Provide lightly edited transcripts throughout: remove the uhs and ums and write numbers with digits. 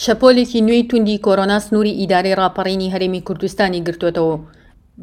شەپۆلێکی نوێی توندی کۆرۆنا سنووری ئیدارەی ڕاپەڕینی هەرێمی کوردستانی گرتووەتەوە و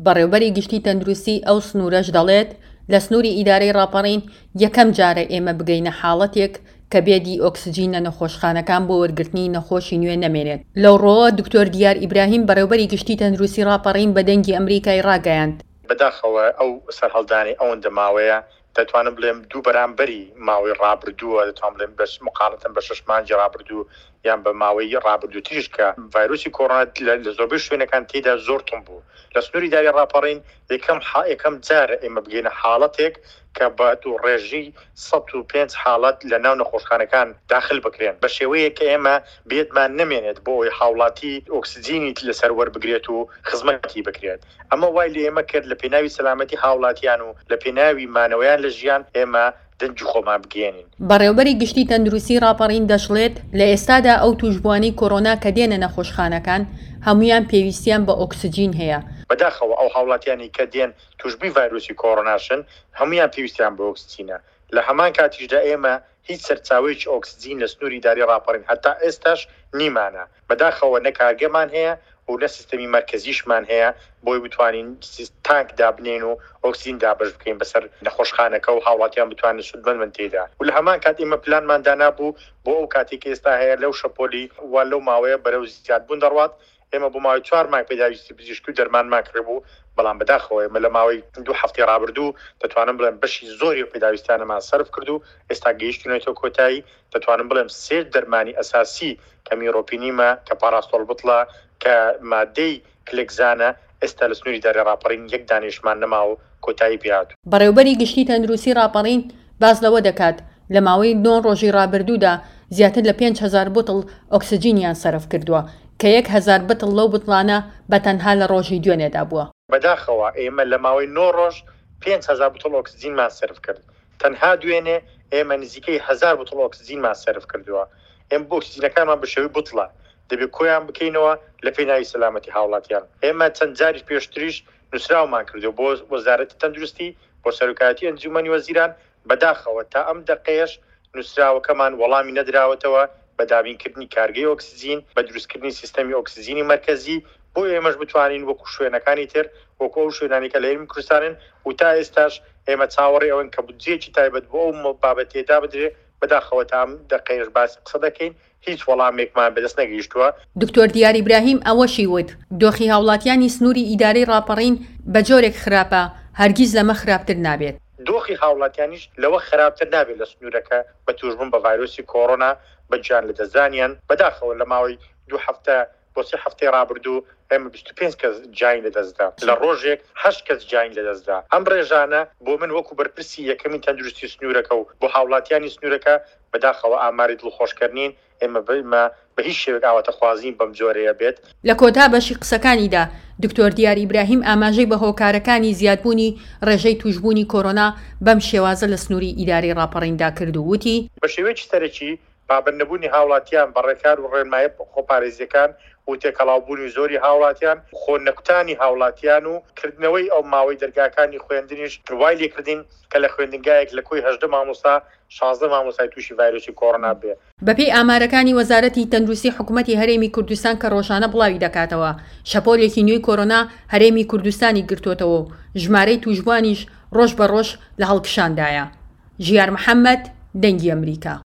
بەڕێوبەری گشتی تەندروستی ئەو سنوورەش دەڵێت، لە سنووری ئیدارەی ڕاپەڕین یەکەم جارە ئێمە بگەینە حاڵەتێک کە بێدی ئۆکسجین لە نەخۆشخانەکان بۆ وەرگرتنی نەخۆشی نوێ نەمێنێت. لەوڕوەوە دکتۆر دیار ئیبراهیم بەڕێوبەری گشتی تەندروستی ڕاپەڕین بە دەنگی ئەمریکای ڕاگەیاند، بەداخەوە ئەو سەرهەڵدانەی ئەوەندە ماوەیە دەتوانم بڵێم دوو بەرامبەری ماوەی ڕابردووە، دەتوانم بڵێم بە مقارنەتەن بە شەش مانگی ڕابردوو یان بە ماوەی ڕابردووتریش کە ڤایرۆسی کۆرۆنا لە زۆربەی شوێنەکان تێیدا زۆر توند بوو. لە سنووری داری ڕاپەڕین یەکەم یەکەم جارە ئێمە بگەینە حاڵەتێک کە بە ڕێژەی 105 حاڵەت لە ناو نەخۆشخانەکان داخل بکرێن بە شێوەیەک کە ئێمە بێدمان نەمێنێت بۆ ئەوەی هاوڵاتی ئۆکسجینی لەسەر وەربگرێت و خزمەتی بکرێت. ئەمە وای لە ئێمە کرد لە پێناوی سەلامەتی هاوڵاتیان و لە پێناوی مانەوەیان لە ژیان ئێمە دەنگی خۆمان بگەیەنین. بەڕێوبەری گشتی تەندروستی ڕاپەڕین دەشڵێت، لە ئێستادا ئەو توشبووانەی کۆرۆنا کە دێنە نەخۆشخانەکان هەموویان پێویستیان بە ئۆکسجین هەیە. بەداخەوە ئەو هاوڵاتیانەی کە دێن توشبووی ڤایرۆسی کۆرۆناشن هەموویان پێویستیان بە ئۆکسجینە، لە هەمان کاتیشدا ئێمە هیچ سەرچاوەیەکی ئۆکسجین لە سنووری ئیدارەی ڕاپەڕین هەتا ئێستاش نیمانە. بەداخەوە نە کارگەمان هەیە و نە سیستەمی مەرکەزیشمان هەیە بۆی بتوانین تانک دابنێین و ئۆکسجین دابەش بکەین بەسەر نەخۆشخانەکە و هاوڵاتیان بتوانن سوودمەند بن تێیدا و لە هەمان کات ئێمە پلانمان دانابوو بۆ ئەو کاتەی کە ئێستا هەیە لەو شەپۆلی و لەو ماوەیە بەرەو زیادبوون دەڕوات ئێمە بۆ ماوەی چوار مانگ پێداویستی پزیشکی و دەرمانمان کڕیبوو، بەڵام بەداخەوە ئێمە لە ماوەی دوو هەفتەی ڕابردوو دەتوانم بڵێم بەشی زۆری ئەو پێداویستیانەمان سەرف کرد و ئێستا گەیشتوینەتەوە کۆتایی، دەتوانم بڵێم سێ دەرمانی ئەساسی کە میرۆپینیمە، کە پاراستۆڵ بتڵە، کە مادەی کلێکزانە، ئێستا لە سنووری دارێ ڕاپەڕین یەک دانەیشمان نەماوە و کۆتایی پێهاتوو. بەڕێوبەری گشتی تەندروستی ڕاپەڕین باس لەوە دەکات، لە ماوەی نۆ ڕۆژی ڕابردوودا زیاتر لە 5000 بوتڵ ئۆکسجینیان سەرف کردووە، کە 1000 بتڵ لەو بتڵانە بە تەنها لە ڕۆژی دوێنێدا بووە. بەداخەوە ئێمە لە ماوەی نۆ ڕۆژ 5000 بتڵ ئۆکسجینمان سەرف کرد، تەنها دوێنێ ئێمە نزیکەی هەزار بتڵ ئۆکسجینمان سەرف کردووە. ئێمە بۆ ئۆکسجینەکانمان بە شێوەی بتڵە دەبێت کۆیان بکەینەوە لە پێناوی سەلامەتی هاوڵاتیان. ئێمە چەند جاریش پێشتریش نووسراومان کردووە بۆ وەزارەتی تەندروستی، بۆ سەرۆکایەتی ئەنجوومەنی وەزیران، بەداخەوە تا ئەم دەقەیەش نووسراوەکەمان وەڵامی نەدراوەتەوە بە دابینکردنی کارگەی ئۆکسجین، بە دروستکردنی سیستەمی ئۆکسجینی مەرکەزی بۆ ئێمەش بتوانین وەکو شوێنەکانی تر، وەکو ئەو شوێنانەی کە لە هەرێمی کوردستانن و تا ئێستاش ئێمە چاوەڕێی ئەوەین کە بودجەیەکی تایبەت بۆ ئەو بابەتەیە دابدرێ، بەداخەوە تا ئەم دەقەیەش باسی قسە دەکەین هیچ وەڵامێکمان بەدەست نەگەیشتووە. دکتۆر دیار ئیبراهیم ئەوەشی وت، دۆخی هاوڵاتیانی سنووری ئیدارەی ڕاپەڕین بە جۆرێک خراپە هەرگیز لەمە خراپتر نابێت. دۆخی هاوڵاتیانیش لەوە خراپتر نابێت لە سنوورەکە بە تووشبوون بە ڤایرۆسی کۆرۆنا بە گیان لەدەستدانیان، بەداخەوە لە ماوەی دوو هەفتە بۆ سێ هەفتەی ڕابردوو ئێمە 25 کەس گیانی لەدەستدا، لە ڕۆژێک هەشت کەس گیانی لەدەستدا، ئەم ڕێژانە بۆ من وەکو بەرپرسی یەکەمی تەندروستی سنوورەکە و بۆ هاوڵاتیانی سنوورەکە بەداخەوە ئاماری دڵخۆشکەر نین، ئێمە بە هیچ شێوەیەک ئاواتەخوازین بەم جۆرەیە بێت. لە کۆتا بەشی قسەکانیدا دکتۆر دیار ئیبراهیم ئاماژەی بە هۆکارەکانی زیادبوونی ڕێژەی تووشبوونی کۆرۆنا بەم شێوازە لە سنووری ئیدارەی ڕاپەڕیندا کرد و وتی، بە شێوەیەکی سەرەکی پابەندنەبوونی هاوڵاتیان بە ڕێکار و ڕێنمایە خۆپارێزییەکان و تێکەڵاوبوونی زۆری هاوڵاتیان، خۆ نەکوتانی هاوڵاتیان و کردنەوەی ئەو ماوەی دەرگاکانی خوێندنیش وای لێکردین کە لە خوێندنگایەک لە کۆی 18 مامۆستا 16 مامۆستای تووشی ڤایرۆسی کۆرۆنا بێ. بەپێی ئامارەکانی وەزارەتی تەندروستی حکومەتی هەرێمی کوردستان کە ڕۆژانە بڵاوی دەکاتەوە، شەپۆلێکی نوێی کۆرۆنا هەرێمی کوردستانی گرتووەتەوە و ژمارەی تووشبووانیش ڕۆژ بە ڕۆژ لە هەڵکشاندایە. ژیار محەمەد، دەنگی ئەمریکا.